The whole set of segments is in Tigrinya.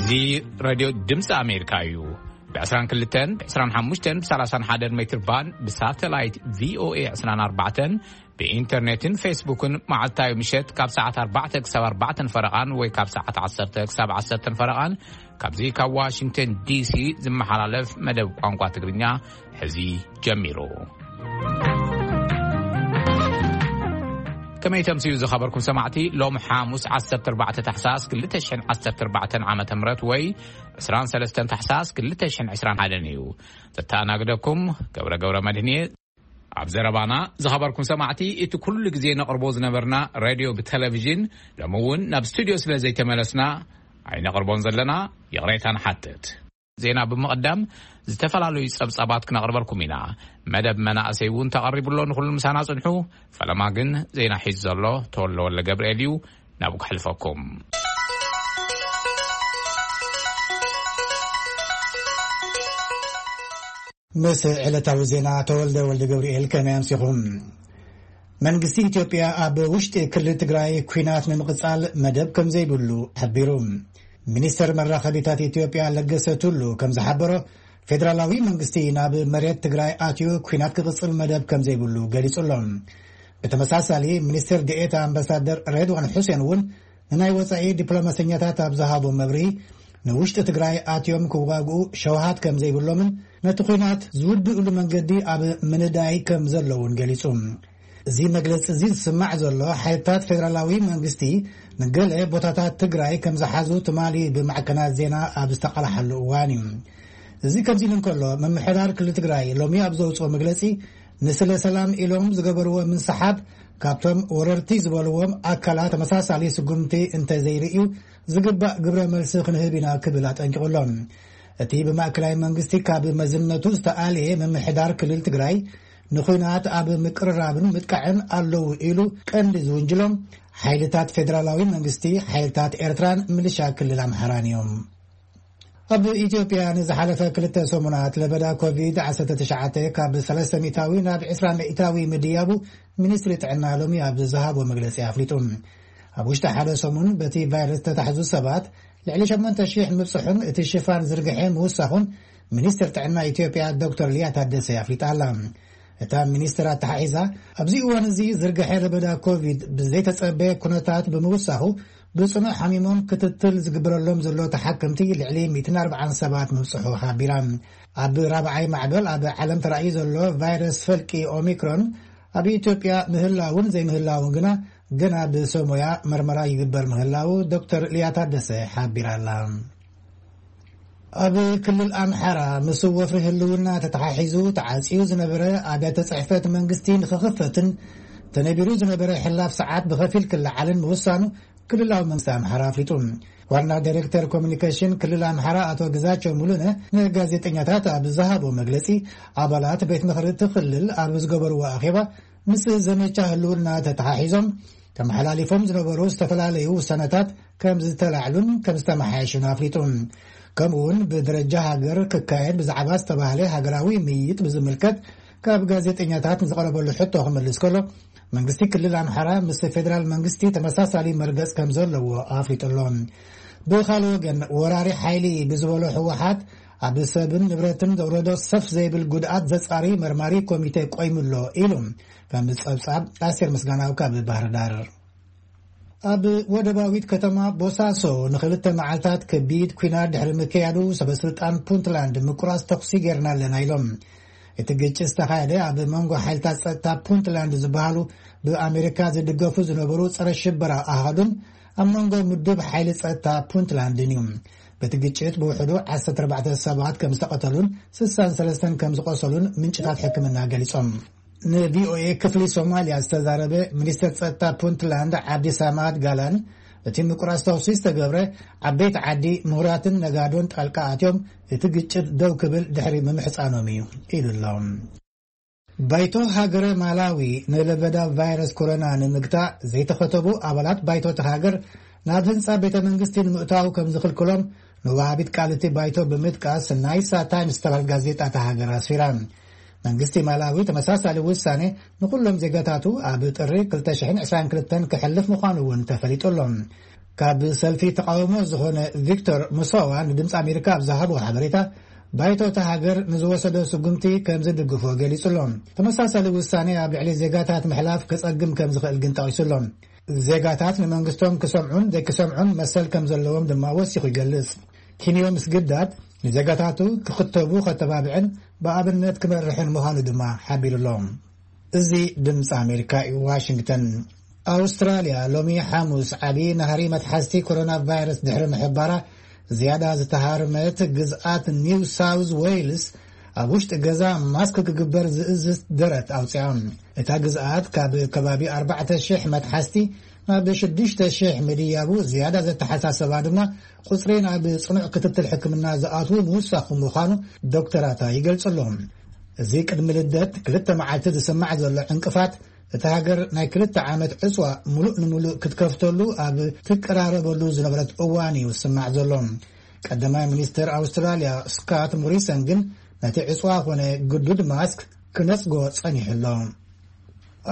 እዚ ሬድዮ ድምፂ ኣሜሪካ እዩ። ብ22፣ ብ25፣ ብ31 ሜትር ባንድ፣ ብሳተላይት ቪኦኤ 24፣ ብኢንተርኔትን ፌስቡክን መዓልታዊ ምሸት ካብ ሰዓት ኣርባዕተ ክሳብ ኣርባዕተን ፈረቓን ወይ ካብ ሰዓት ዓሰርተ ክሳብ ዓሰርተን ፈረቓን፣ ካብዚ ካብ ዋሽንግተን ዲሲ ዝመሓላለፍ መደብ ቋንቋ ትግርኛ ሕዚ ጀሚሩ። ከመይ ተምስዩ ዝኸበርኩም ሰማዕቲ፣ ሎም ሓሙስ ዓሰርተ ኣርባዕተ ታሕሳስ ክልተ ሽሕን ዓሰርተ ኣርባዕተን ዓመተ ምህረት ወይ ዕስራን ሰለስተን ታሕሳስ ክልተ ሽሕን ዕስራን ሓደን እዩ። ዘተኣናግደኩም ገብረ ገብረ መድህን እየ። ኣብ ዘረባና ዝኸበርኩም ሰማዕቲ፣ እቲ ኩሉ ግዜ ነቕርቦ ዝነበርና ሬድዮ ብቴሌቪዥን ሎሚ እውን ናብ ስቱድዮ ስለ ዘይተመለስና ኣይነቕርቦን ዘለና፣ ይቕሬታ ንሓትት። ዜና ብምቕዳም ዝተፈላለዩ ጸብጻባት ክነቕርበልኩም ኢና። መደብ መናእሰይ እውን ተቐሪቡ ኣሎ፣ ንኹሉ ምሳና ጽንሑ። ፈለማ ግን ዜና ሒዙ ዘሎ ተወልደ ወልደ ገብርኤል እዩ፣ ናብኡ ክሕልፈኩም። ምስ ዕለታዊ ዜና ተወልደ ወልደ ገብርኤል ከመይ ኣምሲኹም? መንግስቲ ኢትዮጵያ ኣብ ውሽጢ ክልል ትግራይ ኲናት ንምቕጻል መደብ ከም ዘይብሉ ሓቢሩ። ሚኒስተር መራኸቢታት ኢትዮጵያ ለገሰ ቱሉ ከም ዝሓበሮ፣ ፌደራላዊ መንግስቲ ናብ መሬት ትግራይ ኣትዩ ኲናት ክቕጽል መደብ ከም ዘይብሉ ገሊጹ ኣሎ። ብተመሳሳሊ፣ ሚኒስትር ዴኤታ ኣምባሳደር ሬድዋን ሑሴን እውን ንናይ ወጻኢ ዲፕሎማሰኛታት ኣብ ዝሃቦ መብርሂ፣ ንውሽጢ ትግራይ ኣትዮም ክዋግኡ ሸውሃት ከም ዘይብሎምን ነቲ ኲናት ዝውድእሉ መንገዲ ኣብ ምንዳይ ከም ዘለውን ገሊጹ። እዚ መግለጺ እዚ ዝስማዕ ዘሎ፣ ሓይልታት ፌደራላዊ መንግስቲ ንገለ ቦታታት ትግራይ ከም ዝሓዙ ትማሊ ብማዕከናት ዜና ኣብ ዝተቓልሓሉ እዋን እዩ። እዚ ከምዚ ኢሉ እንከሎ፣ ምምሕዳር ክልል ትግራይ ሎሚ ኣብ ዘውፅኦ መግለጺ፣ ንስለ ሰላም ኢሎም ዝገበርዎ ምንስሓብ ካብቶም ወረርቲ ዝበልዎም ኣካላት ተመሳሳሊ ስጉምቲ እንተዘይርእዩ ዝግባእ ግብረ መልሲ ክንህብ ኢና ክብል ኣጠንቂቑ ኣሎ። እቲ ብማእከላይ መንግስቲ ካብ መዝነቱ ዝተኣልየ ምምሕዳር ክልል ትግራይ ንኹናት ኣብ ምቅርራብን ምጥቃዕን ኣለዉ ኢሉ ቀንዲ ዝውንጅሎም ሓይልታት ፌደራላዊ መንግስቲ፣ ሓይልታት ኤርትራን ምልሻ ክልል ኣምሓራን እዮም። ኣብ ኢትዮጵያ ንዝሓለፈ ክልተ ሰሙናት ለበዳ ኮቪድ ዓሰርተ ትሽዓተ ካብ ሰለስተ ሚእታዊ ናብ ዕስራ ሚእታዊ ምድያቡ ሚኒስትሪ ጥዕና ሎሚ ኣብ ዝሃቦ መግለጺ ኣፍሊጡ። ኣብ ውሽጢ ሓደ ሰሙን በቲ ቫይረስ ዝተታሕዙ ሰባት ልዕሊ ሸሞንተ ሽሕ ምብጽሑን እቲ ሽፋን ዝርግሐ ምውሳኹን ሚኒስትር ጥዕና ኢትዮጵያ ዶክተር ሊያ ታደሰ ኣፍሊጣ ኣላ። እታ ሚኒስትር ኣተሓሒዛ፣ ኣብዚ እዋን እዚ ዝርግሐ ለበዳ ኮቪድ ብዘይተጸበየ ኩነታት ብምውሳኹ፣ ብጽኑዕ ሓሚሞም ክትትል ዝግበረሎም ዘሎ ተሓከምቲ ልዕሊ ሚእትን ኣርባዓን ሰባት ምብጽሑ ሓቢራ። ኣብ ራብዓይ ማዕበል ኣብ ዓለም ተራእዩ ዘሎ ቫይረስ ፈልቂ ኦሚክሮን ኣብ ኢትዮጵያ ምህላውን ዘይምህላውን ግና ገና ብሰብ ሞያ መርመራ ይግበር ምህላው ዶክተር ሊያ ታደሰ ሓቢራ ኣላ። ኣብ ክልል ኣምሓራ ምስ ወፍሪ ህልውና ተተሓሒዙ ተዓጽዩ ዝነበረ ኣብያተ ጽሕፈት መንግስቲ ንኽኽፈትን ተነቢሩ ዝነበረ ሕላፍ ሰዓት ብኸፊል ክለዓልን ምውሳኑ ክልላዊ መንግስቲ ኣምሓራ ኣፍሊጡ። ዋና ዳይሬክተር ኮሚኒኬሽን ክልል ኣምሓራ ኣቶ ግዛቸው ሙሉነ ንጋዜጠኛታት ኣብ ዝሃቦ መግለጺ፣ ኣባላት ቤት ምኽሪ እቲ ክልል ኣብ ዝገበርዎ ኣኼባ ምስ ዘመቻ ህልውና ተተሓሒዞም ተመሓላሊፎም ዝነበሩ ዝተፈላለዩ ውሳነታት ከም ዝተላዕሉን ከም ዝተመሓየሹን ኣፍሊጡ። ከምኡ እውን ብደረጃ ሃገር ክካየድ ብዛዕባ ዝተባህለ ሃገራዊ ምይይጥ ብዝምልከት ካብ ጋዜጠኛታት ንዝቐረበሉ ሕቶ ክመልስ ከሎ፣ መንግስቲ ክልል ኣምሓራ ምስ ፌደራል መንግስቲ ተመሳሳሊ መርገጽ ከም ዘለዎ ኣፍሊጡ ኣሎ። ብኻልእ ወገን፣ ወራሪ ሓይሊ ብዝበሎ ህወሓት ኣብ ሰብን ንብረትን ዘውረዶ ሰፍ ዘይብል ጉድኣት ዘጻሪ መርማሪ ኮሚቴ ቆይሙ ኣሎ ኢሉ። ከም ጸብጻብ ኣስቴር ምስጋናው ካብ ባህር ዳር። ኣብ ወደባዊት ከተማ ቦሳሶ ንኽልተ መዓልታት ከቢድ ኲናት ድሕሪ ምክያዱ፣ ሰበ ስልጣን ፑንትላንድ ምቁራጽ ተኹሲ ጌርና ኣለና ኢሎም። እቲ ግጭት ዝተኻየደ ኣብ መንጎ ሓይልታት ጸጥታ ፑንትላንድ ዝበሃሉ ብኣሜሪካ ዝድገፉ ዝነበሩ ጸረ ሽበራ ኣሃዱን ኣብ መንጎ ምዱብ ሓይሊ ጸጥታ ፑንትላንድን እዩ። በቲ ግጭት ብውሕዱ ዓሰርተ ኣርባዕተ ሰባት ከም ዝተቐተሉን ስሳን ሰለስተን ከም ዝቖሰሉን ምንጭታት ሕክምና ገሊጾም። ንቪኦኤ ክፍሊ ሶማልያ ዝተዛረበ ሚኒስተር ጸጥታ ፑንትላንድ ዓብዲ ሳማድ ጋላን፣ እቲ ምቁራጽ ተኹሲ ዝተገብረ ዓበይቲ ዓዲ፣ ምሁራትን ነጋዶን ጣልቃ ኣትዮም እቲ ግጭት ደው ክብል ድሕሪ ምምሕጻኖም እዩ ኢሉ ኣሎ። ባይቶ ሃገረ ማላዊ ንለበዳ ቫይረስ ኮሮና ንምግታእ ዘይተኸተቡ ኣባላት ባይቶ እቲ ሃገር ናብ ህንጻ ቤተ መንግስቲ ንምእታው ከም ዝኽልክሎም ንወሃቢት ቃል እቲ ባይቶ ብምጥቃስ ናይሳ ታይምስ ዝተባህለት ጋዜጣ እታ ሃገር ኣስፊራ። መንግስቲ ማላዊ ተመሳሳሊ ውሳኔ ንኩሎም ዜጋታቱ ኣብ ጥሪ ክልተ ሽሕን ዕስራን ክልተን ከሕልፍ ምዃኑ እውን ተፈሊጡ ኣሎ። ካብ ሰልፊ ተቃውሞ ዝኾነ ቪክቶር ሙሳዋ ንድምፂ ኣሜሪካ ኣብ ዝሃቦ ሓበሬታ፣ ባይቶ እታ ሃገር ንዝወሰዶ ስጉምቲ ከም ዝድግፎ ገሊጹ ኣሎ። ተመሳሳሊ ውሳኔ ኣብ ልዕሊ ዜጋታት ምሕላፍ ከጸግም ከም ዝኽእል ግን ጠቒሱ ኣሎ። ዜጋታት ንመንግስቶም ክሰምዑን ዘይክሰምዑን መሰል ከም ዘለዎም ድማ ወሲኹ ይገልጽ። ኪንዮ ምስግዳድ ንዜጋታቱ ክኽተቡ ከተባብዕን ብኣብነት ክመርሕን ምዃኑ ድማ ሓቢሩ ኣሎ። እዚ ድምፂ ኣሜሪካ እዩ። ዋሽንግተን። ኣውስትራልያ ሎሚ ሓሙስ ዓብዪ ናህሪ መትሓዝቲ ኮሮና ቫይረስ ድሕሪ ምሕባራ፣ ዝያዳ ዝተሃርመት ግዝኣት ኒው ሳውዝ ዌይልስ ኣብ ውሽጢ ገዛ ማስክ ክግበር ዝእዝዝ ደረት ኣውፅኣ። እታ ግዝኣት ካብ ከባቢ ኣርባዕተ ሽሕ መትሓዝቲ ናብ ሽዱሽተ ሽሕ ምድያቡ ዝያዳ ዘተሓሳሰባ ድማ፣ ቁፅሪ ናብ ፅኑዕ ክትትል ሕክምና ዝኣትዉ ምውሳኹ ምዃኑ ዶክተራታ ይገልፁ ኣለዉ። እዚ ቅድሚ ልደት ክልተ መዓልቲ ዝስማዕ ዘሎ ዕንቅፋት፣ እታ ሃገር ናይ ክልተ ዓመት ዕፅዋ ሙሉእ ንሙሉእ ክትከፍተሉ ኣብ ትቀራረበሉ ዝነበረት እዋን እዩ ዝስማዕ ዘሎ። ቀዳማይ ሚኒስትር ኣውስትራልያ ስካት ሞሪሰን ግን ነቲ ዕፅዋ ኮነ ግዱድ ማስክ ክነፅጎ ጸኒሑ ኣሎ።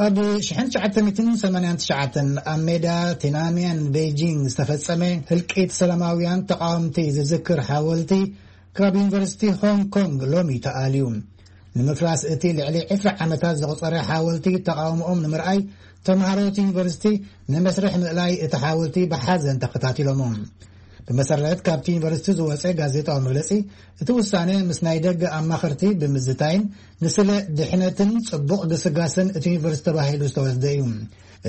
ኣብ ሽሕን ትሽዓተ ሚእትን ሰማንያን ትሽዓተን ኣብ ሜዳ ቲናንሜን ቤጂንግ ዝተፈጸመ ህልቂት ሰላማውያን ተቃወምቲ ዝዝክር ሓወልቲ ካብ ዩኒቨርሲቲ ሆንግ ኮንግ ሎሚ ተኣልዩ። ንምፍራስ እቲ ልዕሊ ዕስራ ዓመታት ዘቑጸረ ሓወልቲ ተቃውሞኦም ንምርኣይ፣ ተምሃሮ እቲ ዩኒቨርሲቲ ንመስርሕ ምእላይ እቲ ሓወልቲ ብሓዘን ተኸታቲሎሞ። ብመሰረት ካብቲ ዩኒቨርሲቲ ዝወጸ ጋዜጣዊ መግለጺ፣ እቲ ውሳነ ምስ ናይ ደገ ኣማኸርቲ ብምዝታይን ንስለ ድሕነትን ጽቡቕ ግስጋስን እቲ ዩኒቨርሲቲ ተባሂሉ ዝተወስደ እዩ።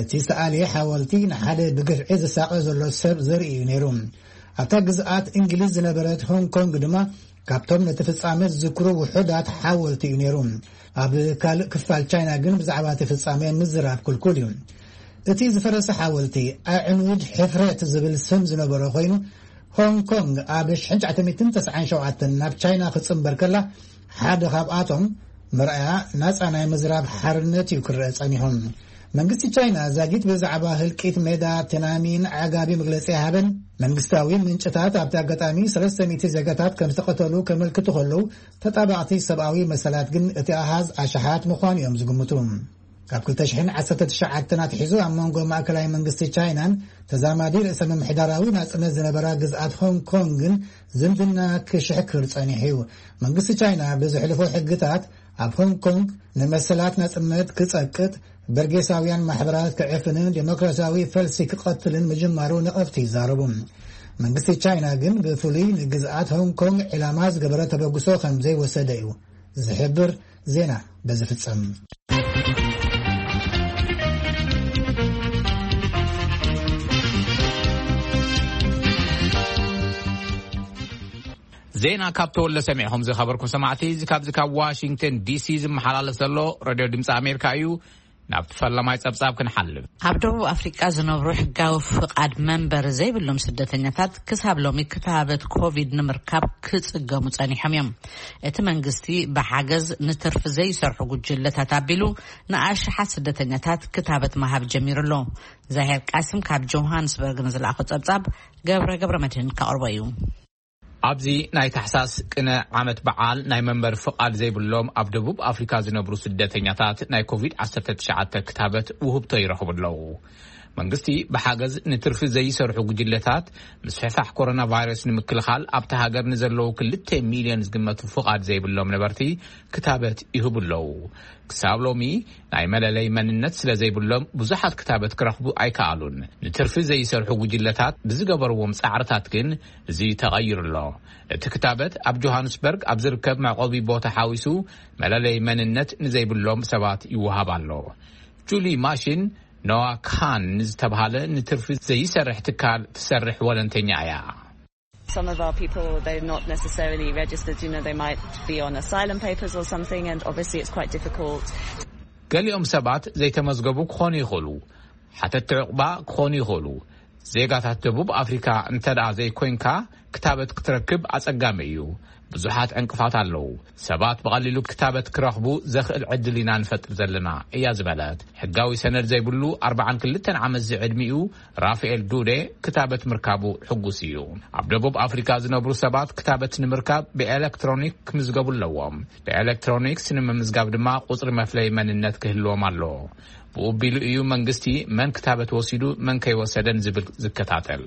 እቲ ዝተኣልየ ሓወልቲ ንሓደ ብግፍዒ ዝሳቐ ዘሎ ሰብ ዘርኢ እዩ ነይሩ። ኣብታ ግዝኣት እንግሊዝ ዝነበረት ሆንግ ኮንግ ድማ ካብቶም ነቲ ፍጻመ ዝዝክሩ ውሑዳት ሓወልቲ እዩ ነይሩ። ኣብ ካልእ ክፋል ቻይና ግን ብዛዕባ እቲ ፍጻመ ምዝራብ ክልኩል እዩ። እቲ ዝፈረሰ ሓወልቲ ኣዕኑድ ሕፍረት ዝብል ስም ዝነበሮ ኮይኑ፣ ሆንግ ኮንግ ኣብ ሽሕን ትሽዓተ ሚእትን ተስዓን ሸውዓተን ናብ ቻይና ክትጽንበር ከላ፣ ሓደ ካብኣቶም መርኣያ ናጻ ናይ ምዝራብ ሓርነት እዩ ክረአ ጸኒሑ። መንግስቲ ቻይና ዛጊት ብዛዕባ ህልቂት ሜዳ ቴናሚን ዓጋቢ መግለጺ ኣይሃበን። መንግስታዊ ምንጭታት ኣብቲ ኣጋጣሚ ሰለስተ ሚእቲ ዜጋታት ከም ዝተቐተሉ ከመልክቱ ከለዉ፣ ተጣባቕቲ ሰብኣዊ መሰላት ግን እቲ ኣሃዝ ኣሽሓት ምዃኑ እዮም ዝግምቱ። ካብ ክልተ ሽሕን ዓሰርተ ትሽዓተን ኣትሒዙ ኣብ መንጎ ማእከላይ መንግስቲ ቻይናን ተዛማዲ ርእሰ ምምሕዳራዊ ናጽነት ዝነበራ ግዝኣት ሆንግ ኮንግን ዝምድና ክሽሕክር ጸኒሑ እዩ። መንግስቲ ቻይና ብዘሕልፎ ሕግታት ኣብ ሆንግ ኮንግ ንመሰላት ናጽነት ክጸቅጥ፣ በርጌሳውያን ማሕበራት ክዕፍንን ዴሞክራሲያዊ ፈልሲ ክቐትልን ምጅማሩ ነቐፍቲ ይዛረቡ። መንግስቲ ቻይና ግን ብፍሉይ ንግዝኣት ሆንግ ኮንግ ዒላማ ዝገበረ ተበግሶ ከም ዘይወሰደ እዩ ዝሕብር። ዜና በዚ ፍጸም። ዜና ካብ ተወለ ሰሚዕኹም ዝኸበርኩም ሰማዕቲ፣ እዚ ካብዚ ካብ ዋሽንግተን ዲሲ ዝመሓላለፍ ዘሎ ሬድዮ ድምፂ ኣሜሪካ እዩ። ናብቲ ፈለማይ ጸብጻብ ክንሓልፍ። ኣብ ደቡብ ኣፍሪቃ ዝነብሩ ሕጋዊ ፍቓድ መንበሪ ዘይብሎም ስደተኛታት ክሳብ ሎሚ ክታበት ኮቪድ ንምርካብ ክጽገሙ ጸኒሖም እዮም። እቲ መንግስቲ ብሓገዝ ንትርፊ ዘይሰርሑ ጉጅለታት ኣቢሉ ንኣሽሓት ስደተኛታት ክታበት ምሃብ ጀሚሩ ኣሎ። ዛሄር ቃስም ካብ ጆሃንስበርግ ንዝለኣኾ ጸብጻብ ገብረ ገብረ መድህን ከቕርቦ እዩ። ኣብዚ ናይ ታሕሳስ ቅነ ዓመት በዓል ናይ መንበሪ ፍቓድ ዘይብሎም ኣብ ደቡብ ኣፍሪካ ዝነብሩ ስደተኛታት ናይ ኮቪድ ዓሰርተ ትሽዓተ ክታበት ውህብቶ ይረኽቡ ኣለዉ። መንግስቲ ብሓገዝ ንትርፊ ዘይሰርሑ ጉጅለታት ምስፍሕፋሕ ኮሮና ቫይረስ ንምክልኻል ኣብቲ ሃገር ንዘለዉ ክልተ ሚልዮን ዝግመቱ ፍቓድ ዘይብሎም ነበርቲ ክታበት ይህቡ ኣለዉ። ክሳብ ሎሚ ናይ መለለይ መንነት ስለ ዘይብሎም ብዙሓት ክታበት ክረኽቡ ኣይከኣሉን። ንትርፊ ዘይሰርሑ ጉጅለታት ብዝገበርዎም ጻዕርታት ግን እዚ ተቐይሩ ኣሎ። እቲ ክታበት ኣብ ጆሃንስበርግ ኣብ ዝርከብ መዕቆቢ ቦታ ሓዊሱ መለለይ መንነት ንዘይብሎም ሰባት ይወሃብ ኣሎ። ጁሊ ማሽን ኖዋ ካን ንዝተብሃለ ንትርፊ ዘይሰርሕ ትካል ትሰርሕ ወለንተኛ እያ። Some of our people, they're not necessarily registered. You know, they might be on asylum papers or something, and obviously it's quite difficult. ገሊኦም ሰባት ዘይተመዝገቡ ክኾኑ ይኽእሉ፣ ሓተትቲ ዕቑባ ክኾኑ ይኽእሉ። ዜጋታት ደቡብ ኣፍሪካ እንተ ደኣ ዘይኮይንካ፣ ክታበት ክትረክብ ኣጸጋሚ እዩ። ብዙሓት ዕንቅፋት ኣለዉ። ሰባት ብቐሊሉ ክታበት ክረኽቡ ዘኽእል ዕድል ኢና ንፈጥር ዘለና፣ እያ ዝበለት። ሕጋዊ ሰነድ ዘይብሉ ኣርባዓን ክልተን ዓመት ዝዕድሚኡ ራፋኤል ዱዴ ክታበት ምርካቡ ሕጉስ እዩ። ኣብ ደቡብ ኣፍሪካ ዝነብሩ ሰባት ክታበት ንምርካብ ብኤሌክትሮኒክ ክምዝገቡ ኣለዎም። ብኤሌክትሮኒክስ ንምምዝጋብ ድማ ቁጽሪ መፍለይ መንነት ክህልዎም ኣለዎ። ብኡ ቢሉ እዩ መንግስቲ መን ክታበት ወሲዱ መን ከይወሰደን ዝብል ዝከታተል።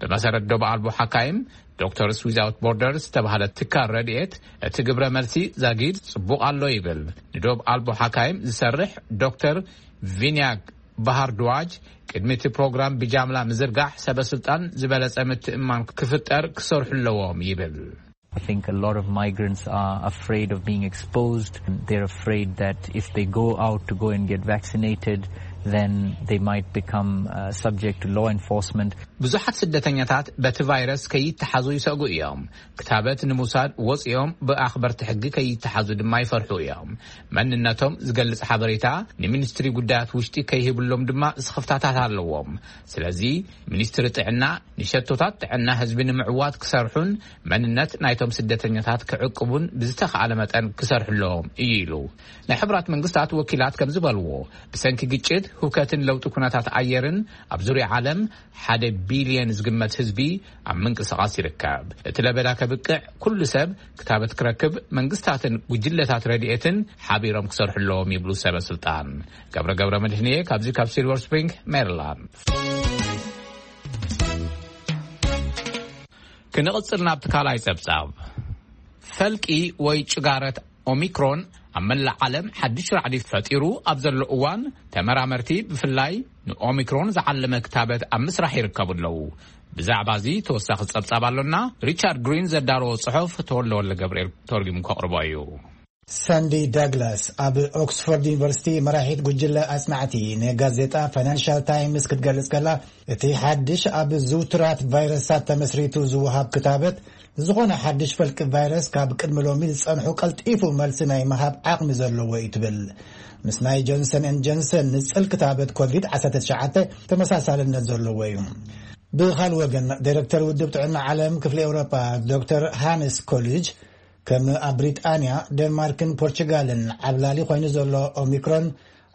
ብመሰረት ዶብ ኣልቦ ሓካይም፣ ዶክተርስ ዊዛውት ቦርደርስ ዝተባህለ ትካል ረድኤት፣ እቲ ግብረ መልሲ ዛጊድ ጽቡቕ ኣሎ ይብል። ንዶብ ኣልቦ ሓካይም ዝሰርሕ ዶክተር ቪንያግ ባህር ድዋጅ፣ ቅድሚ እቲ ፕሮግራም ብጃምላ ምዝርጋሕ ሰበ ስልጣን ዝበለጸ ምትእምማን ክፍጠር ክሰርሑ ኣለዎም ይብል። I think a lot of migrants are afraid of being exposed. They're afraid that if they go out to go and get vaccinated, then they might become uh, subject to law enforcement. ብዙሓት ስደተኛታት በቲ ቫይረስ ከይተሓዙ ይሰግኡ እዮም። ክታበት ንምውሳድ ወፂኦም ብኣኽበርቲ ሕጊ ከይተሓዙ ድማ ይፈርሑ እዮም። መንነቶም ዝገልጽ ሓበሬታ ንሚኒስትሪ ጉዳያት ውሽጢ ከይህብሎም ድማ ስኽፍታታት ኣለዎም። ስለዚ ሚኒስትሪ ጥዕና ንሸቶታት ጥዕና ህዝቢ ንምዕዋት ክሰርሑን መንነት ናይቶም ስደተኛታት ክዕቅቡን ብዝተኻእለ መጠን ክሰርሑ ኣለዎም እዩ ኢሉ። ናይ ሕቡራት መንግስታት ወኪላት ከም ዝበልዎ፣ ብሰንኪ ግጭት፣ ህውከትን ለውጢ ኩነታት ኣየርን ኣብ ዙርያ ዓለም ሓደ ቢልየን ዝግመት ህዝቢ ኣብ ምንቅስቓስ ይርከብ። እቲ ለበዳ ከብቅዕ ኩሉ ሰብ ክታበት ክረክብ መንግስታትን ጉጅለታት ረድኤትን ሓቢሮም ክሰርሑ ኣለዎም ይብሉ ሰበ ስልጣን። ገብረ ገብረ መድህንየ ካብዚ ካብ ሲልቨር ስፕሪንግ ሜሪላንድ። ክንቕጽል ናብቲ ካልኣይ ጸብጻብ። ፈልቂ ወይ ጭጋረት ኦሚክሮን ኣብ መላእ ዓለም ሓድሽ ራዕዲ ፈጢሩ ኣብ ዘሎ እዋን፣ ተመራመርቲ ብፍላይ ንኦሚክሮን ዝዓለመ ክታበት ኣብ ምስራሕ ይርከቡ ኣለዉ። ብዛዕባ እዚ ተወሳኺ ጸብጻብ ኣሎና። ሪቻርድ ግሪን ዘዳለዎ ጽሑፍ ተወልደ ወልደ ገብርኤል ተርጒሙ ከቕርቦ እዩ። ሳንዲ ዳግላስ ኣብ ኦክስፎርድ ዩኒቨርሲቲ መራሒት ጉጅለ ኣጽናዕቲ ንጋዜጣ ፋይናንሻል ታይምስ ክትገልጽ ከላ፣ እቲ ሓድሽ ኣብ ዝውቱራት ቫይረሳት ተመስሪቱ ዝወሃብ ክታበት፣ ንዝኾነ ሓድሽ ፈልቂ ቫይረስ ካብ ቅድሚ ሎሚ ዝጸንሑ ቀልጢፉ መልሲ ናይ ምሃብ ዓቕሚ ዘለዎ እዩ ትብል። ምስ ናይ ጆንሰን ኤንድ ጆንሰን ንጽል ክታበት ኮቪድ ዓሰርተ ትሽዓተ ተመሳሳልነት ዘለዎ እዩ። ብኻል ወገን፣ ዳይረክተር ውድብ ጥዕና ዓለም ክፍሊ ኤውሮጳ ዶክተር ሃንስ ኮሊጅ፣ ከም ኣብ ብሪጣንያ፣ ደንማርክን ፖርቹጋልን ዓብላሊ ኮይኑ ዘሎ ኦሚክሮን፣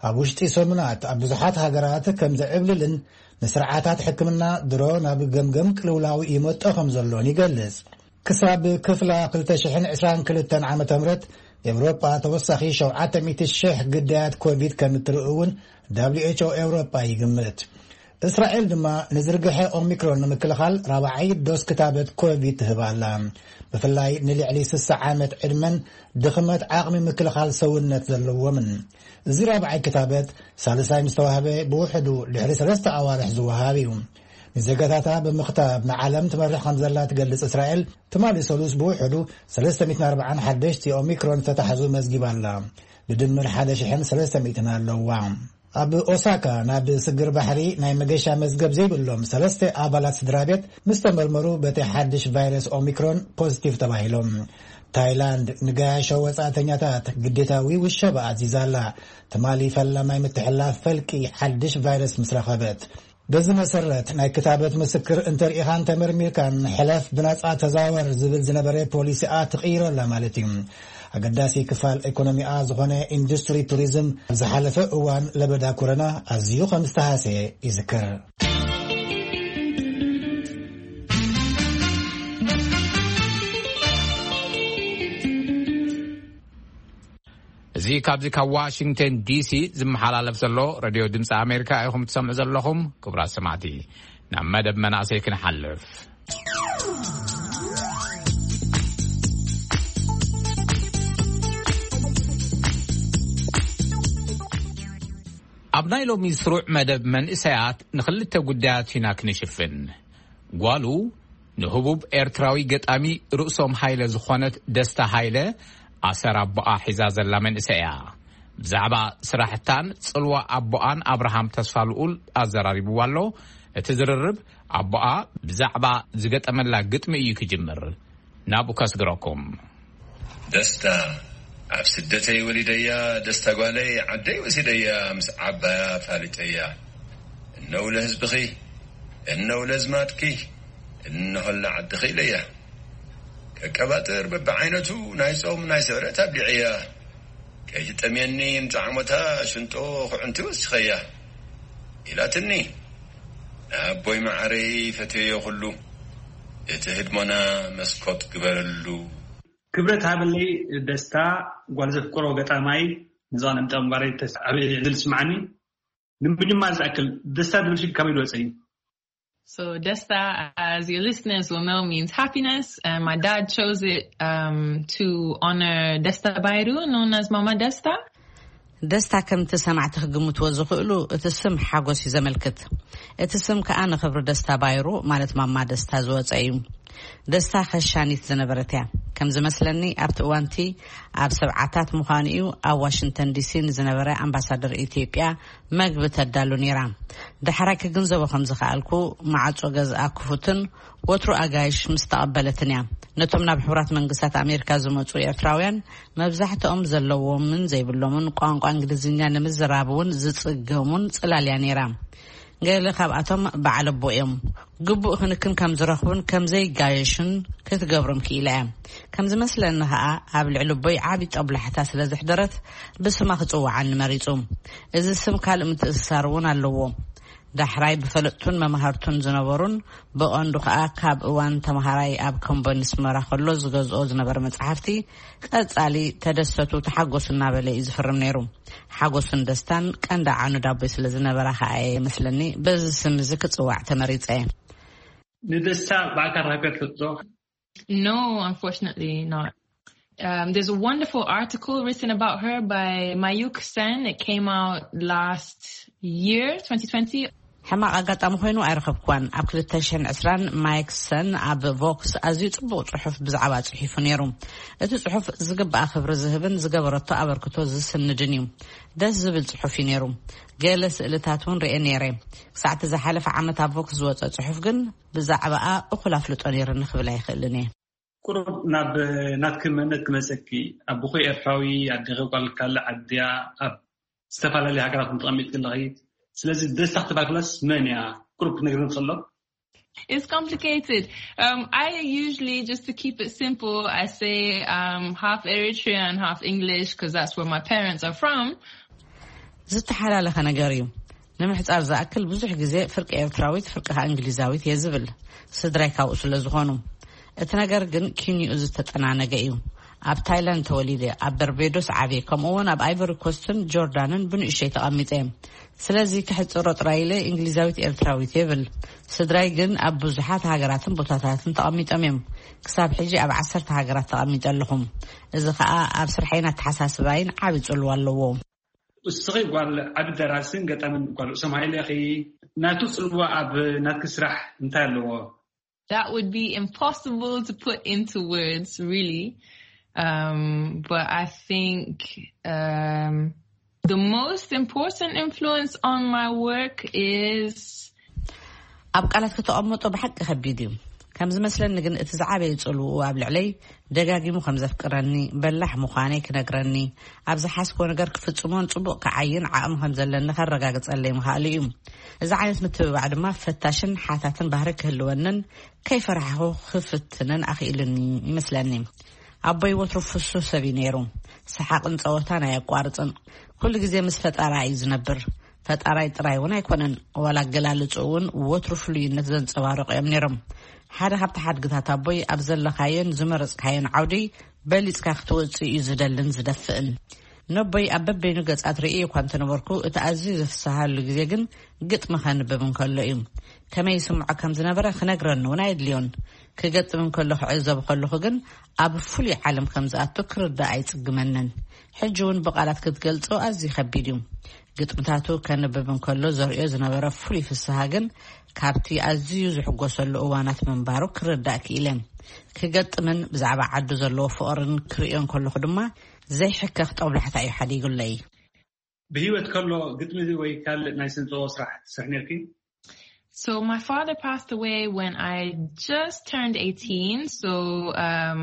ኣብ ውሽጢ ሰሙናት ኣብ ብዙሓት ሃገራት ከም ዝዕብልልን ንስርዓታት ሕክምና ድሮ ናብ ገምገም ቅልውላው ይመጦ ከም ዘሎን ይገልጽ። ክሳብ ክፍላ ክልተ ሽሕን ዕስራን ክልተን ዓመተ ምህረት፣ ኤውሮጳ ተወሳኺ ሸውዓተ ሚእቲ ሽሕ ግዳያት ኮቪድ ከም እትርኢ እውን ደብሊው ኤች ኦ ኤውሮጳ ይግምት። እስራኤል ድማ ንዝርግሐ ኦሚክሮን ንምክልኻል ራብዓይ ዶስ ክታበት ኮቪድ ትህብ ኣላ። ብፍላይ ንልዕሊ ስሳ ዓመት ዕድመን ድኽመት ዓቕሚ ምክልኻል ሰውነት ዘለዎምን። እዚ ራብዓይ ክታበት ሳልሳይ ምስ ተዋህበ፣ ብውሕዱ ድሕሪ ሰለስተ ኣዋርሕ ዝወሃብ እዩ። ንዜጋታታ ብምኽታብ ንዓለም ትመርሕ ከም ዘላ ትገልጽ እስራኤል፣ ትማሊ ሰሉስ ብውሕዱ ሰለስተ ሚእትን ኣርባዓን ሓደሽቲ ኦሚክሮን ዝተታሕዙ መዝጊባ ኣላ። ብድምር ሓደ ሽሕን ሰለስተ ሚእትን ኣለዋ። ኣብ ኦሳካ ናብ ስግር ባሕሪ ናይ መገሻ መዝገብ ዘይብሎም ሰለስተ ኣባላት ስድራ ቤት ምስ ተመርመሩ፣ በቲ ሓድሽ ቫይረስ ኦሚክሮን ፖዚቲቭ ተባሂሎም። ታይላንድ ንገያሾ ወጻእተኛታት ግዴታዊ ውሸባ ኣዚዛ ኣላ፣ ትማሊ ፈላማይ ምትሕልላፍ ፈልቂ ሓድሽ ቫይረስ ምስ ረኸበት። በዚ መሰረት፣ ናይ ክታበት ምስክር እንተርኢኻን ተመርሚርካን ሕለፍ ብናጻ ተዛወር ዝብል ዝነበረ ፖሊሲኣ ትቕይሮ ኣላ ማለት እዩ። ኣገዳሲ ክፋል ኢኮኖሚኣ ዝኾነ ኢንዱስትሪ ቱሪዝም፣ ኣብ ዝሓለፈ እዋን ለበዳ ኮሮና ኣዝዩ ከም ዝተሃሰየ ይዝከር። እዚ ካብዚ ካብ ዋሽንግተን ዲሲ ዝመሓላለፍ ዘሎ ሬድዮ ድምፂ ኣሜሪካ ኢኹም ትሰምዑ ዘለኹም። ክቡራት ሰማዕቲ፣ ናብ መደብ መናእሰይ ክንሓልፍ። ኣብ ናይ ሎሚ ስሩዕ መደብ መንእሰያት ንኽልተ ጉዳያት ኢና ክንሽፍን። ጓሉ ንህቡብ ኤርትራዊ ገጣሚ ርእሶም ሃይለ ዝኾነት ደስታ ሃይለ ኣሰር ኣቦኣ ሒዛ ዘላ መንእሰይ እያ። ብዛዕባ ስራሕታን ጽልዋ ኣቦኣን ኣብርሃም ተስፋልኡል ኣዘራሪብዋ ኣሎ። እቲ ዝርርብ ኣቦኣ ብዛዕባ ዝገጠመላ ግጥሚ እዩ ክጅምር። ናብኡ ከስግረኩም። ደስታ ኣብ ስደተይ ወሊደያ፣ ደስታ ጓለይ ዓደይ ወሲደያ፣ ምስ ዓባያ ፋሊጠያ። እነው ለህዝብኺ፣ እነው ለዝማድኪ፣ እንሆላ ዓድኺ ኢለያ። ከቀባጥር በብዓይነቱ ናይ ጾም ናይ ስዕረት ኣብሊዐያ። ከይትጠምየኒ ንጣዕሞታ ሽንጦ ኩዕንቲ ወሲኸያ። ኢላትኒ ንኣቦይ መዓረይ ፈትየዮ ኩሉ፣ እቲ ህድሞና መስኮት ግበረሉ። ክብረት ሃበለይ ደስታ፣ ጓል ዘፍቅሮ ገጣማይ፣ ንዝቐነምጠ ምባረይ ተስ-፣ ኣብ ዕድል ስምዓኒ። ንምጅማር ዝኣክል፣ ደስታ ዝብል ሽግ ካበይ ዝወፀ እዩ? So Desta, as your listeners will know, means happiness. And my dad chose it um, to honor Desta Bairu, known as Mama Desta. ደስታ ከምቲ ሰማዕቲ ክግምትዎ ዝኽእሉ፣ እቲ ስም ሓጎስ እዩ ዘመልክት። እቲ ስም ከኣ ንኽብሪ ደስታ ባይሩ፣ ማለት ማማ ደስታ ዝወፀ እዩ። ደስታ ከሻኒት ዝነበረት እያ። ከም ዝመስለኒ ኣብቲ እዋንቲ ኣብ ሰብዓታት ምዃኑ እዩ ኣብ ዋሽንግተን ዲሲ ንዝነበረ ኣምባሳደር ኢትዮጵያ መግቢ ተዳሉ ነይራ። ዳሕራይ ክግንዘቦ ከም ዝኸኣልኩ፣ ማዕጾ ገዝኣ ክፉትን ወትሩ ኣጋይሽ ምስ ተቐበለትን እያ። ነቶም ናብ ሕቡራት መንግስታት ኣሜሪካ ዝመጹ ኤርትራውያን መብዛሕትኦም ዘለዎምን ዘይብሎምን ቋንቋ እንግሊዝኛ ንምዝራብ እውን ዝጽገሙን ጽላል እያ ነይራ። ገለ ካብኣቶም በዓል ኣቦ እዮም። ግቡእ ክንክን ከም ዝረኽቡን ከም ዘይጋየሹን ክትገብሮም ክኢላ እያ። ከም ዝመስለኒ ኸኣ ኣብ ልዕሊ ኣቦይ ዓቢ ጦብላሕታ ስለ ዘሕደረት ብስማ ክጽውዓኒ መሪጹ። እዚ ስም ካልእ ምትእስሳር እውን ኣለዎ። ዳሕራይ ብፈለጥቱን መማህርቱን ዝነበሩን ብቐንዱ ከኣ ካብ እዋን ተምሃራይ ኣብ ከምቦ ኣስመራ ከሎ ዝገዝኦ ዝነበረ መጽሓፍቲ ቀጻሊ ተደሰቱ ተሓጎሱ እናበለ እዩ ዝፍርም ነይሩ። ሓጎስን ደስታን ቀንዲ ዓኑ ዳቦይ ስለ ዝነበራ ከኣ እየ መስለኒ በዚ ስም እዚ ክጽዋዕ ተመሪጸ እየ። ንደስታ ብኣካል ረኺብካ ትፈልጥ ዶ? No, unfortunately not. Um, there's a wonderful article written about her by Mayuk Sen. It came out last year, twenty twenty. ሕማቕ ኣጋጣሚ ኮይኑ ኣይረኸብክዋን። ኣብ ክልተ ሽሕን ዕስራን ማይክ ሰን ኣብ ቮክስ ኣዝዩ ጽቡቕ ጽሑፍ ብዛዕባ ጽሒፉ ነይሩ። እቲ ጽሑፍ ዝግባኣ ክብሪ ዝህብን ዝገበረቶ ኣበርክቶ ዝስንድን እዩ። ደስ ዝብል ጽሑፍ እዩ ነይሩ። ገለ ስእልታት እውን ርኤ ነይረ። ክሳዕ እቲ ዝሓለፈ ዓመት ኣብ ቮክስ ዝወጸ ጽሑፍ ግን ብዛዕባኣ እኹል ኣፍልጦ ነይርኒ ክብል ኣይኽእልን እየ። ቁሩብ ናብ ናትኪ መንነት ክመጸኪ፣ ኣቦኺ ኤርትራዊ፣ ኣዴኺ ጓል ካልእ ዓድያ፣ ኣብ ዝተፈላለዩ ሃገራት ተቐሚጥኪ ኣለኺ። ስለዚ ደስታ ክትባክለስ መን እያ? ቁሩብ ክትነግርኒ ትኽእሎ? It's complicated. Um, I usually, just to keep it simple, I say um, half Eritrean, half English, because that's where my parents are from. ዝተሓላለኸ ነገር እዩ። ንምሕጻር ዝኣክል ብዙሕ ግዜ ፍርቂ ኤርትራዊት ፍርቂ ከኣ እንግሊዛዊት እየ ዝብል። ስድራይ ካብኡ ስለ ዝኾኑ። እቲ ነገር ግን ኪንኡ ዝተጠናነገ እዩ። ኣብ ታይላንድ ተወሊደ፣ ኣብ በርቤዶስ ዓብየ፣ ከምኡ እውን ኣብ ኣይቨሪ ኮስትን ጆርዳንን ብንእሽተይ ተቐሚጠ። ስለዚ ክሕጽሮ ጥራይ ኢለ እንግሊዛዊት ኤርትራዊት የብል። ስድራይ ግን ኣብ ብዙሓት ሃገራትን ቦታታትን ተቐሚጦም እዮም። ክሳብ ሕጂ ኣብ ዓሰርተ ሃገራት ተቐሚጠ ኣለኹ። እዚ ኸኣ ኣብ ስርሐይን ኣተሓሳስባይን ዓቢ ጽልዋ ኣለዎ። እስኺ ጓል ዓቢ ደራስን ገጣምን ጓል ርእሶም ሃይለ ኢኺ። ናቱ ጽልዋ ኣብ ናትኪ ስራሕ እንታይ ኣለዎ? That would be impossible to put into words, really. Um, but I think um, the most important influence on my work is ኣብ ቃላት ከተቐምጦ ብሓቂ ከቢድ እዩ። ከም ዝመስለኒ ግን እቲ ዝዓበየ ጽልውኡ ኣብ ልዕለይ ደጋጊሙ ከም ዘፍቅረኒ፣ በላሕ ምዃነይ ክነግረኒ፣ ኣብ ዝሓስቦ ነገር ክፍጽሞን ጽቡቕ ክዓይን ዓቕሚ ከም ዘለኒ ከረጋግጸለይ ምኽኣሉ እዩ። እዚ ዓይነት ምትብባዕ ድማ ፈታሽን ሓታትን ባህሪ ክህልወንን ከይፈራሕኹ ክፍትንን ኣኽኢሉኒ ይመስለኒ። ኣቦይ ወትሩ ፍሱህ ሰብ እዩ ነይሩ። ሰሓቕን ጸወታን ኣየቋርጽን። ኩሉ ግዜ ምስ ፈጣራ እዩ ዝነብር። ፈጣራይ ጥራይ እውን ኣይኮነን፣ ዋላ ኣገላልጽኡ እውን ወትሩ ፍሉይነት ዘንጸባርቑ እዮም ነይሮም። ሓደ ካብቲ ሓድግታት ኣቦይ ኣብ ዘለኻዮን ዝመረጽካዮን ዓውዲ በሊጽካ ክትወጽእ እዩ ዝደልን ዝደፍእን። ነቦይ ኣብ በበይኑ ገጻት ርእየ እኳ እንተነበርኩ፣ እቲ ኣዝዩ ዘፍስሃሉ ግዜ ግን ግጥሚ ከንብብ እንከሎ እዩ። ከመይ ይስምዖ ከም ዝነበረ ክነግረኒ እውን ኣየድልዮን። ክገጥም እንከሎ ክዕዘብ ከለኹ ግን ኣብ ፍሉይ ዓለም ከም ዝኣቱ ክርዳእ ኣይጽግመንን። ሕጂ እውን ብቓላት ክትገልጾ ኣዝዩ ከቢድ እዩ። ግጥምታቱ ከንብብ እንከሎ ዘርእዮ ዝነበረ ፍሉይ ፍስሃ ግን ካብቲ ኣዝዩ ዝሕጎሰሉ እዋናት ምንባሩ ክርዳእ ክኢለ። ክገጥምን ብዛዕባ ዓዱ ዘለዎ ፍቕርን ክርእዮ እንከለኹ ድማ ዘይሕከኽ ጦብላሕታ እዩ ሓዲጉለይ። ብህይወት ከሎ ግጥሚ ወይ ካልእ ናይ ስነ ጥበብ ስራሕ ትሰርሕ ነርኪ? So my father passed away when I just turned eighteen. So um,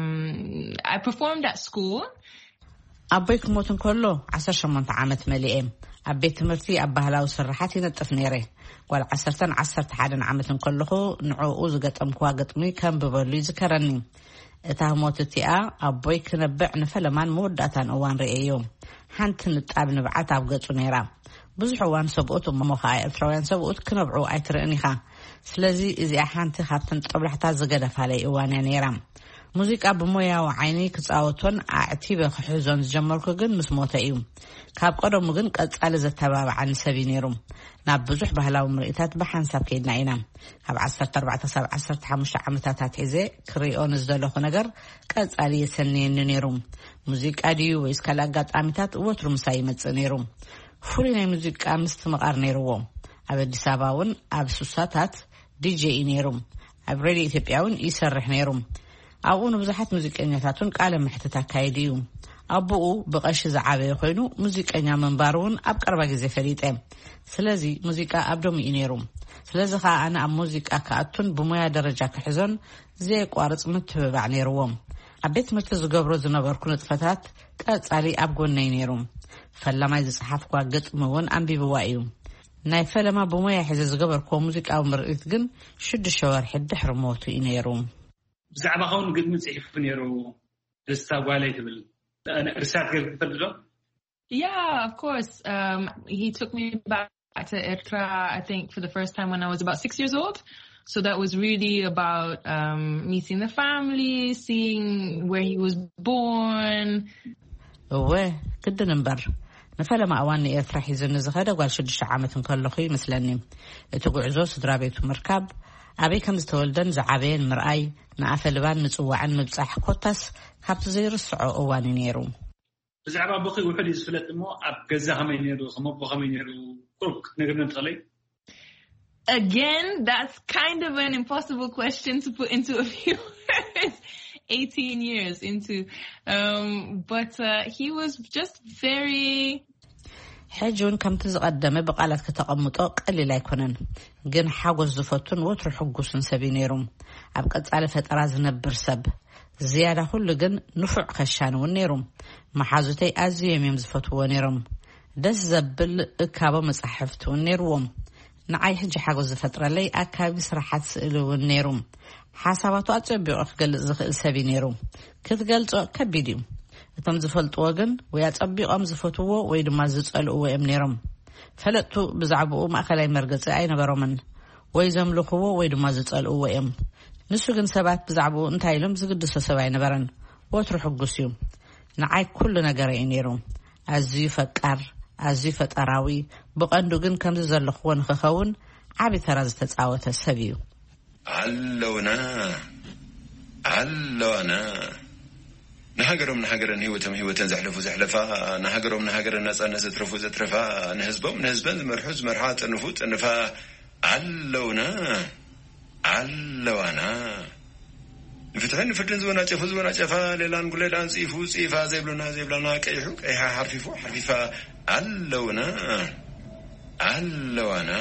I performed at school. ኣቦይ ክሞት እንከሎ ዓሰርተ ሸሞንተ ዓመት መሊኤ። ኣብ ቤት ትምህርቲ ኣብ ባህላዊ ስርሓት ይነጥፍ ነይረ። ጓል ዓሰርተን ዓሰርተ ሓደን ዓመት እንከለኹ ንዕኡ ዝገጠምክዋ ግጥሚ ከንብበሉ ይዝከረኒ። እታ ህሞት እቲኣ ኣቦይ ክነብዕ ንፈለማን መወዳእታን እዋን ርእየዮ። ሓንቲ ንጣብ ንብዓት ኣብ ገጹ ነይራ። ብዙሕ እዋን ሰብኡት እሞ ኸኣ ኤርትራውያን ሰብኡት ክነብዑ ኣይትርእን ኢኻ። ስለዚ እዚኣ ሓንቲ ካብተን ጦብላሕታ ዝገደፋለይ እዋን እያ ነይራ። ሙዚቃ ብሞያዊ ዓይኒ ክጻወቶን ኣዕቲበ ክሕዞን ዝጀመርኩ ግን ምስ ሞተ እዩ። ካብ ቀደሙ ግን ቀጻሊ ዘተባብዓኒ ሰብ እዩ ነይሩ። ናብ ብዙሕ ባህላዊ ምርኢታት ብሓንሳብ ከይድና ኢና። ካብ ዓሰርተ ኣርባዕተ ክሳብ ዓሰርተ ሓሙሽተ ዓመታት ኣትሒዘ ክሪኦ ንዝደለኹ ነገር ቀጻሊ የሰንየኒ ነይሩ። ሙዚቃ ድዩ ወይስ ካልእ ኣጋጣሚታት ወትሩ ምሳይ ይመጽእ ነይሩ። ፍሉይ ናይ ሙዚቃ ምስትምቓር ነይርዎ። ኣብ ኣዲስ ኣበባ እውን ኣብ ሱሳታት ዲጄ እዩ ነይሩ። ኣብ ሬድዮ ኢትዮጵያ እውን ይሰርሕ ነይሩ። ኣብኡ ንብዙሓት ሙዚቀኛታት እውን ቃለ መሕትት ኣካይዱ እዩ። ኣቦኡ ብቐሺ ዝዓበየ ኮይኑ፣ ሙዚቀኛ ምንባሩ እውን ኣብ ቀረባ ግዜ ፈሊጠ። ስለዚ ሙዚቃ ኣብ ደሙ እዩ ነይሩ። ስለዚ ኸኣ ኣነ ኣብ ሙዚቃ ክኣቱን ብሞያ ደረጃ ክሕዞን ዘየቋርጽ ምትብባዕ ነይርዎ። ኣብ ቤት ትምህርቲ ዝገብሮ ዝነበርኩ ንጥፈታት ቀጻሊ ኣብ ጎነይ ነይሩ። ፈላማይ ዝጸሓፍኳ ግጥሚ እውን ኣንቢብዋ እዩ። ናይ ፈለማ ብሞያ ሒዘ ዝገበርክዎ ሙዚቃዊ ምርኢት ግን ሽዱሽተ ወርሒ ድሕሪ ሞቱ እዩ ነይሩ። ብዛዕባ ኸውን ግጥሚ ጽሒፉ ነይሩ። ደስታ ጓለይ ትብል። እርሳት ገር ትፈልጥ ዶ? Yeah, of course. Um, he took me back to Ertra, I think, for the first time when I was about six years old. So that was really about um, meeting the family, seeing where he was born. እወ፣ ግድን እምበር፣ ንፈለማ እዋን ንኤርትራ ሒዙኒ ዝኸደ ጓል ሽዱሽተ ዓመት እንከለኹ ይመስለኒ። እቲ ጉዕዞ ስድራ ቤቱ ምርካብ፣ ኣበይ ከም ዝተወልደን ዝዓበየን ምርኣይ፣ ንኣፈ ልባን ምጽዋዕን ምብጻሕ ኮታስ ካብቲ ዘይርስዖ እዋን እዩ ነይሩ። ብዛዕባ ኣቦኺ ውሑድ እዩ ዝፍለጥ እሞ፣ ኣብ ገዛ ከመይ ነይሩ፣ ከም ኣቦ ከመይ ነይሩ፣ ቁሩብ ክትነግርኒ ትኽእለይ? Again, that's kind of an impossible question to put into a few words. eighteen years into, um, but uh, he was just very ሕጂ እውን ከምቲ ዝቐደመ ብቓላት ከተቐምጦ ቀሊል ኣይኮነን። ግን ሓጎስ ዝፈቱን ወትሩ ሕጉስን ሰብ እዩ ነይሩ። ኣብ ቀጻሊ ፈጠራ ዝነብር ሰብ። ዝያዳ ኩሉ ግን ንፉዕ ከሻኒ እውን ነይሩ። መሓዙተይ ኣዝዮም እዮም ዝፈትውዎ ነይሮም። ደስ ዘብል እካቦ መጻሕፍቲ እውን ነይርዎም። ንዓይ ሕጂ ሓጎስ ዝፈጥረለይ ኣካቢ ስራሓት ስእሊ እውን ነይሩ። ሓሳባቱ ኣጸቢቑ ክገልጽ ዝኽእል ሰብ እዩ ነይሩ። ክትገልጾ ከቢድ እዩ። እቶም ዝፈልጥዎ ግን ወይ ኣጸቢቖም ዝፈትውዎ ወይ ድማ ዝጸልእዎ እዮም ነይሮም። ፈለጥቱ ብዛዕባኡ ማእከላይ መርገጺ ኣይነበሮምን። ወይ ዘምልኽዎ ወይ ድማ ዝጸልእዎ እዮም። ንሱ ግን ሰባት ብዛዕባኡ እንታይ ኢሎም ዝግድሶ ሰብ ኣይነበረን። ወትሩ ሕጉስ እዩ። ንዓይ ኩሉ ነገረይ እዩ ነይሩ። ኣዝዩ ፈቃር፣ ኣዝዩ ፈጠራዊ፣ ብቐንዱ ግን ከምዚ ዘለኽዎ ንኽኸውን ዓቢ ተራ ዝተጻወተ ሰብ እዩ። ኣለውና ኣለዋና ንሃገሮም ንሃገረን ህይወቶም ህይወተን ዘሕለፉ ዘሕለፋ ንሃገሮም ንሃገረን ናጻነት ዘትረፉ ዘትረፋ ንህዝቦም ንህዝበን ዝመርሑ ዝመርሓ ጸንፉ ጸንፋ ኣለውና ኣለዋና ንፍትሕን ንፍርድን ዝወናጨፉ ዝወናጨፋ ሌላን ጉሌላን ጽኢፉ ጽኢፋ ዘይብሉና ዘይብላና ቀይሑ ቀይሓ ሓርፊፉ ሓርፊፋ ኣለውና ኣለዋና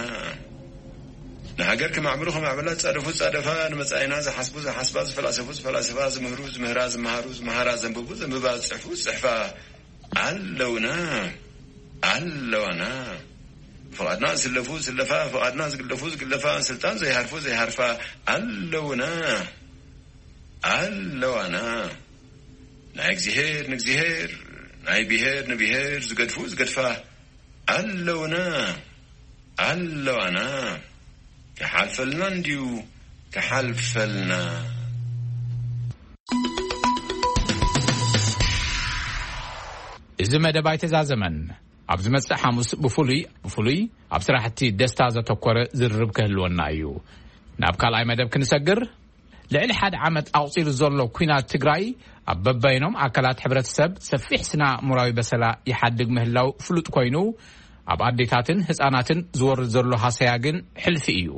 ንሃገር ክማዕብሉ ክማዕበላ ዝጻደፉ ዝጻደፋ ንመጻኢና ዝሓስቡ ዝሓስባ ዝፈላሰፉ ዝፈላሰፋ ዝምህሩ ዝምህራ ዝመሃሩ ዝመሃራ ዘንብቡ ዘንብባ ዝጽሕፉ ዝጽሕፋ ኣለውና ኣለዋና ፍቓድና ዝስለፉ ዝስለፋ ፍቓድና ዝግለፉ ዝግለፋ ስልጣን ዘይሃርፉ ዘይሃርፋ ኣለውና ኣለዋና ናይ እግዚኣብሔር ንእግዚኣብሔር ናይ ብሔር ንብሔር ዝገድፉ ዝገድፋ ኣለውና ኣለዋና ክሓልፈልና እንድዩ ክሓልፈልና እዚ መደብ ኣይተዛዘመን። ኣብ ዝመጽእ ሓሙስ ብፍሉይ ብፍሉይ ኣብ ስራሕቲ ደስታ ዘተኮረ ዝርርብ ክህልወና እዩ። ናብ ካልኣይ መደብ ክንሰግር ልዕሊ ሓደ ዓመት ኣቑጺሩ ዘሎ ኲናት ትግራይ ኣብ በበይኖም ኣካላት ሕብረተሰብ ሰፊሕ ስነ ኣእምራዊ በሰላ ይሓድግ ምህላው ፍሉጥ ኮይኑ ኣብ ኣዴታትን ህፃናትን ዝወርድ ዘሎ ሃሰያ ግን ሕልፊ እዩ።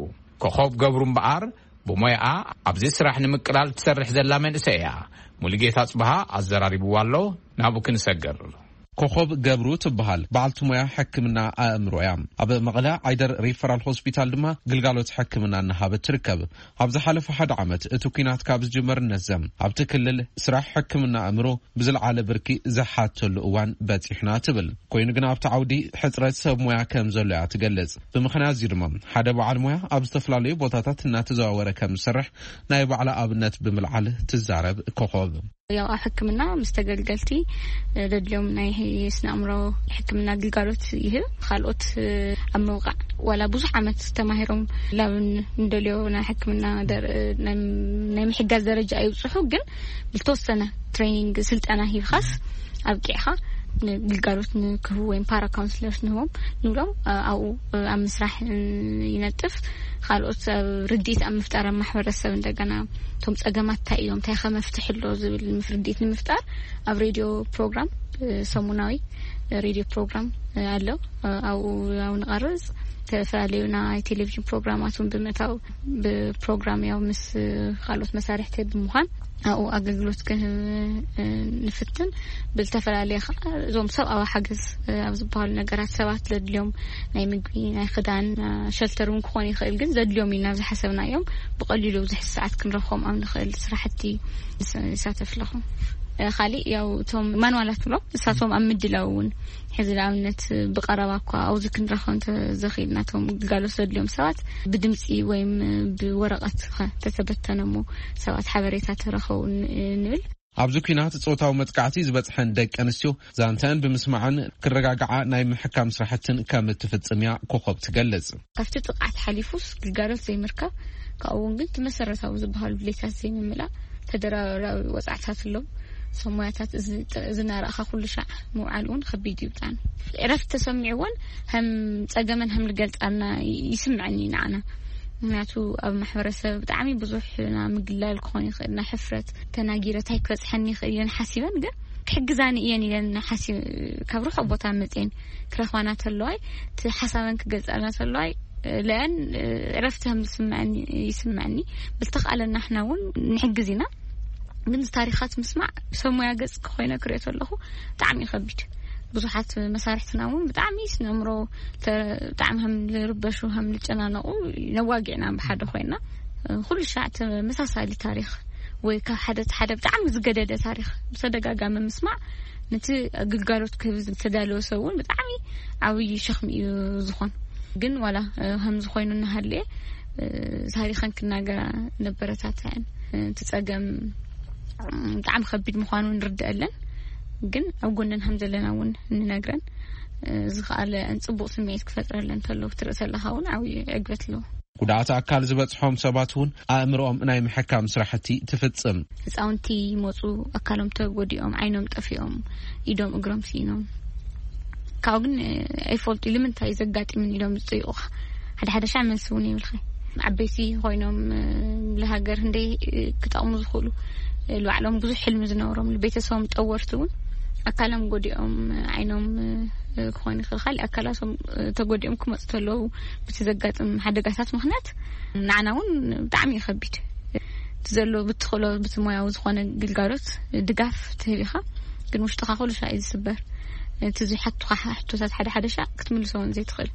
ኮኾብ ገብሩ እምበኣር ብሞያኣ ኣብዚ ስራሕ ንምቅላል ትሰርሕ ዘላ መንእሰይ እያ። ሙሉጌታ ጽብሃ ኣዘራሪብዋ ኣሎ። ናብኡ ክንሰግር። ኮኾብ ገብሩ ትበሃል በዓልቲ ሞያ ሕክምና ኣእምሮ እያ። ኣብ መቐለ ዓይደር ሪፈራል ሆስፒታል ድማ ግልጋሎት ሕክምና እናሃበት ትርከብ። ኣብ ዝሓለፈ ሓደ ዓመት እቲ ኲናት ካብ ዝጅመር ነዘም ኣብቲ ክልል ስራሕ ሕክምና ኣእምሮ ብዝለዓለ ብርኪ ዝሓተሉ እዋን በፂሕና ትብል። ኮይኑ ግን ኣብቲ ዓውዲ ሕፅረት ሰብ ሞያ ከም ዘሎ እያ ትገልፅ። ብምኽንያት እዚ ድማ ሓደ በዓል ሞያ ኣብ ዝተፈላለዩ ቦታታት እናተዘዋወረ ከም ዝሰርሕ ናይ ባዕላ ኣብነት ብምልዓል ትዛረብ ኮኾብ። ያው ኣብ ሕክምና ምስ ተገልገልቲ፣ እ፣ ዘድልዮም ናይ ስነ ኣእምሮ ሕክምና ግልጋሎት ይህብ። ካልኦት፣ እ፣ ኣብ ምብቃዕ ዋላ ብዙሕ ዓመት ተማሂሮም ላብን እንደልዮ ናይ ሕክምና ደር-፣ ናይ፣ ናይ ምሕጋዝ ደረጃ ኣይብጽሑ፣ ግን ብልተወሰነ ትሬኒንግ ስልጠና ሂብኻስ ኣብቂዕኻ ንግልጋሎት ንክህቡ ወይም ፓራ ካውንስለርስ ንህቦም ንብሎም፣ እ፣ ኣብኡ፣ እ፣ ኣብ ምስራሕ፣ እ፣ ይነጥፍ። ካልኦት ኣብ ርድኢት ኣብ ምፍጣር ኣብ ማሕበረሰብ እንደገና እቶም ጸገማት እንታይ እዮም፣ እንታይ ከ መፍትሒ ኣሎ ዝብል ምፍ-፣ ርድኢት ንምፍጣር ኣብ ሬድዮ ፕሮግራም፣ እ፣ ሰሙናዊ ሬድዮ ፕሮግራም፣ እ፣ ኣሎ። እ፣ ኣብኡ፣ ኣብኡ ንቐርጽ። ዝተፈላለዩ ናይ ቴሌቪዥን ፕሮግራማት እውን ብምእታው ብፕሮግራም ያው ምስ፣ እ፣ ካልኦት መሳርሕቲ ብምዃን ኣብኡ ኣገልግሎት ክህብ፣ እ፣ ንፍትን። ብዝተፈላለየ ኸዓ እዞም ሰብኣዊ ሓገዝ፣ እ፣ ኣብ ዝበሃሉ ነገራት ሰባት ዘድልዮም ናይ ምግቢ፣ ናይ ክዳን፣ እ፣ ሸልተር እውን ክኾን ይኽእል፣ ግን ዘድልዮም ኢልና ዝሓሰብናዮም ብቐሊሉ ኣብዚ ሕዚ ሰዓት ክንረኽቦም ኣብ ንኽእል ስራሕቲ ንስ-፣ ንሳተፍ ኣለኹ። እ፣ ካሊእ ያው እቶም ማንዋላት ብሎም ንሳቶም ኣብ ምድላው እውን ሕዚ ንኣብነት ብቐረባ እኳ ኣብዚ ክንረኽቦም እንተዘኽኢልና እቶም ግልጋሎት ዘድልዮም ሰባት ብድምፂ ወይም ብወረቐት ኸ ተተበተነ እሞ ሰባት ሓበሬታ ተረኸቡ ን-፣ ንብል። ኣብዚ ኲናት ጾታዊ መጥቃዕቲ ዝበጽሐን ደቂ ኣንስትዮ ዛንተን ብምስማዕን ክረጋግዓ ናይ ምሕካም ስራሕትን ከም እትፍጽም እያ ኮኾብ ትገልጽ። ካብቲ ጥቕዓት ሓሊፉስ ግልጋሎት ዘይምርካብ፣ ካብኡ እውን ግን እቲ መሰረታዊ ዝበሃሉ ድሌታት ዘይምምላእ፣ ተደራራቢ ወጻዕታት ኣለዉ። ሰሙያታት እዚ፣ እዚ እናረኣኻ ኩሉ ሻዕ ምውዓል እውን ከቢድ እዩ ብጣዕሚ። ዕረፍቲ ተሰሚዕዎን ከም ጸገመን ከም ዝገልጻልና ይስምዐኒ ንዓና። ምኽንያቱ ኣብ ማሕበረሰብ ብጣዕሚ ብዙሕ ና ምግላል ክኾን ይኽእል፣ ና ሕፍረት፣ ተናጊረ እንታይ ክበጽሐኒ ይኽእል እየን ሓሲበን፣ ግን ክሕግዛኒ እየን ኢለን ሓሲብ-፣ ካብ ርሑቕ ቦታ መጽየን ክረኽባና ተለዋይ፣ እቲ ሓሳበን ክገልጻልና ተለዋይ፣ ለአን ዕረፍቲ ከም ዝስምዐኒ ይስምዐኒ። ብልተኽኣለና ንሕና እውን ንሕግዝ ኢና። ግን እዚ ታሪኻት ምስማዕ ብሰብ ሞያ ገጽ ኮይነ ክሪኦ ተለኹ ብጣዕሚ እዩ ከቢድ። ብዙሓት መሳርሕትና እውን ብጣዕሚ ስነ ኣእምሮ ተ-፣ ብጣዕሚ ከም ዝርበሹ፣ ከም ዝጨናነቑ ነዋጊዕና ብሓደ ኮይና፣ ኩሉ ሻዕ ተመሳሳሊ ታሪኽ ወይ ካብ ሓደ ሓደ ብጣዕሚ ዝገደደ ታሪኽ ብተደጋጋሚ ምስማዕ ነቲ ግልጋሎት ክህብ ዝተዳለወ ሰብ እውን ብጣዕሚ ዓብዪ ሸኽሚ እዩ ዝኾን። ግን ዋላ፣ እ፣ ከምዚ ኮይኑ እናሃለየ፣ እ፣ ታሪኸን ክናገራ ነበረታትዐን። እ፣ እቲ ጸገም፣ እ፣ ብጣዕሚ ከቢድ ምዃኑ ንርድአለን። ግን ኣብ ጎነን ከም ዘለና እውን እንነግረን፣ እ፣ ዝኸኣለ ጽቡቕ ስምዒት ክፈጥረለን እንተሎ ክትርኢ ተለኻ እውን ዓብዪ ዕግበት ኣለዎ። ጉድኣት ኣካል ዝበጽሖም ሰባት እውን ኣእምሮኦም ናይ ምሕካም ስራሕቲ ትፍጽም። ህፃውንቲ ይመፁ፣ ኣካሎም ተጎዲኦም፣ ዓይኖም ጠፊኦም፣ ኢዶም እግሮም ስኢኖም። ካብኡ ግን፣ እ፣ ኣይፈልጡ ኢሉ ምንታይ ዘጋጢምን ኢሎም ዝፅይቑኻ። ሓደ ሓደ ሻዕ መልሲ እውን የብልኻይ። ዓበይቲ ኮይኖም፣ እ፣ ንሃገር ክንደይ፣ እ፣ ክጠቕሙ ዝኽእሉ፣ እ፣ ንባዕሎም ብዙሕ ሕልሚ ዝነበሮም፣ ንቤተሰቦም ጠወርቲ እውን ኣካሎም ጎዲኦም፣ እ፣ ዓይኖም፣ እ፣ ክኾን ይኽእል፣ ካሊእ ኣካላቶም፣ እ፣ ተጎዲኦም ክመፁ ተለዉ፣ በቲ ዘጋጥም ሓደጋታት ምኽንያት ንዓና እውን ብጣዕሚ እዩ ከቢድ። እቲ ዘሎ ብትኽእሎ፣ ብቲ ሞያዊ ዝኾነ ግልጋሎት ድጋፍ ትህብ ኢኻ፣ ግን ውሽጥኻ ኩሉ ሻዕ እዩ ዝስበር። እቲ ዝሓቱኻ ሕቶታት ሓደ ሓደ ሻዕ ክትምልሶ እውን ዘይትኽእል፣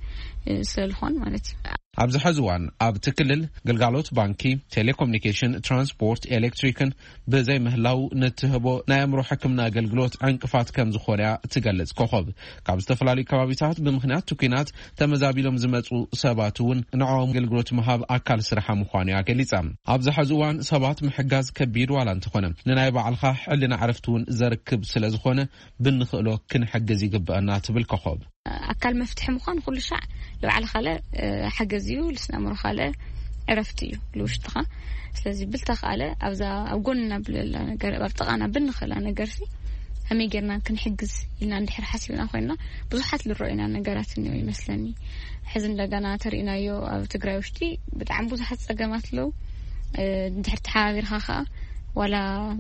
እ፣ ስለ ዝኾን ማለት እዩ። ኣብዚ ሐዚ እዋን ኣብቲ ክልል ግልጋሎት ባንኪ፣ ቴሌኮሙኒኬሽን፣ ትራንስፖርት፣ ኤሌክትሪክን ብዘይምህላው ንትህቦ ናይ ኣእምሮ ሕክምና ኣገልግሎት ዕንቅፋት ከም ዝኾነ እያ ትገልጽ ኮኾብ። ካብ ዝተፈላለዩ ከባቢታት ብምኽንያት እቲ ኲናት ተመዛቢሎም ዝመጹ ሰባት እውን ንዕኦም ኣገልግሎት ምሃብ ኣካል ስርሓ ምዃኑ እያ ገሊጻ። ኣብዚ ሐዚ እዋን ሰባት ምሕጋዝ ከቢድ ዋላ እንተኾነ፣ ንናይ ባዕልኻ ሕልና ዕረፍቲ እውን ዘርክብ ስለ ዝኾነ፣ ብንኽእሎ ክንሕግዝ ይግበአና ትብል ኮኾብ። ኣካል መፍትሒ ምዃን ኩሉ ሻዕ ንባዕልኻለ፣ እ፣ ሓገዝ እዩ፣ ልስነ ኣእምሮኻለ ዕረፍቲ እዩ ልውሽጥኻ። ስለዚ ብልተኻለ ኣብዛ ኣብ ጎንና ብለላ ነገር፣ ኣብ ጥቓና ብንኽእላ ነገርሲ ከመይ ጌርና ክንሕግዝ ኢልና እንድሕር ሓሲብና ኮይንና፣ ብዙሓት ልረኡና ነገራት እኒኦ ይመስለኒ። ሕዚ እንደገና ተሪእናዮ ኣብ ትግራይ ውሽጢ ብጣዕሚ ብዙሓት ጸገማት ኣለዉ። እ፣ እንድሕር ተሓባቢርካ ከኣ ዋላ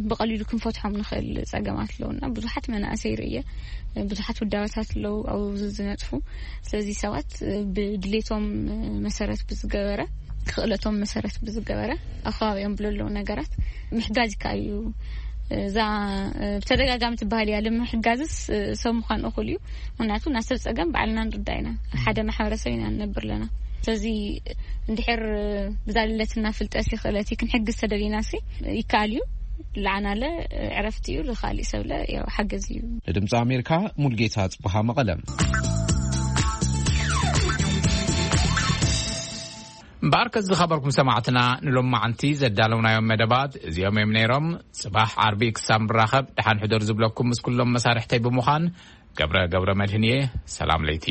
ብቐሊሉ ክንፈትሖም ንኽእል ጸገማት ኣለዉ። እና ብዙሓት መናእሰይ ርእየ፣ ብዙሓት ውዳበታት ኣለዉ ኣብኡ ዝነጥፉ። ስለዚ ሰባት ብድሌቶም መሰረት ብዝገበረ፣ ክእለቶም መሰረት ብዝገበረ፣ ኣብ ከባቢኦም ብለለዉ ነገራት ምሕጋዝ ይከኣል እዩ። እዛ ብተደጋጋሚ ትበሃል እያ፣ ንምሕጋዝስ ሰብ ምዃን እኹል እዩ። ምኽንያቱ ናይ ሰብ ጸገም ባዕልና ንርዳእ ኢና፣ ሓደ ማሕበረሰብ ኢና ንነብር ኣለና። ስለዚ እንድሕር ብዛ ልለትና ፍልጠት ይኽእለት ክንሕግዝ ተደሊና ሲ ይከኣል እዩ። ለዓናለ ዕረፍቲ እዩ፣ ለኻሊእ ሰብለ ያው ሓገዝ እዩ። ንድምፂ ኣሜሪካ ሙልጌታ ጽቡሃ መቐለ። እምበኣርከስ ዝኸበርኩም ሰማዕትና፣ ንሎማዓንቲ ዘዳለውናዮም መደባት እዚኦም እዮም ነይሮም። ጽባሕ ዓርቢ ክሳብ ንራኸብ፣ ደሓን ሕደሩ ዝብለኩም ምስ ኩሎም መሳርሕተይ ብምዃን፣ ገብረ ገብረ መድህን እየ። ሰላም ለይቲ።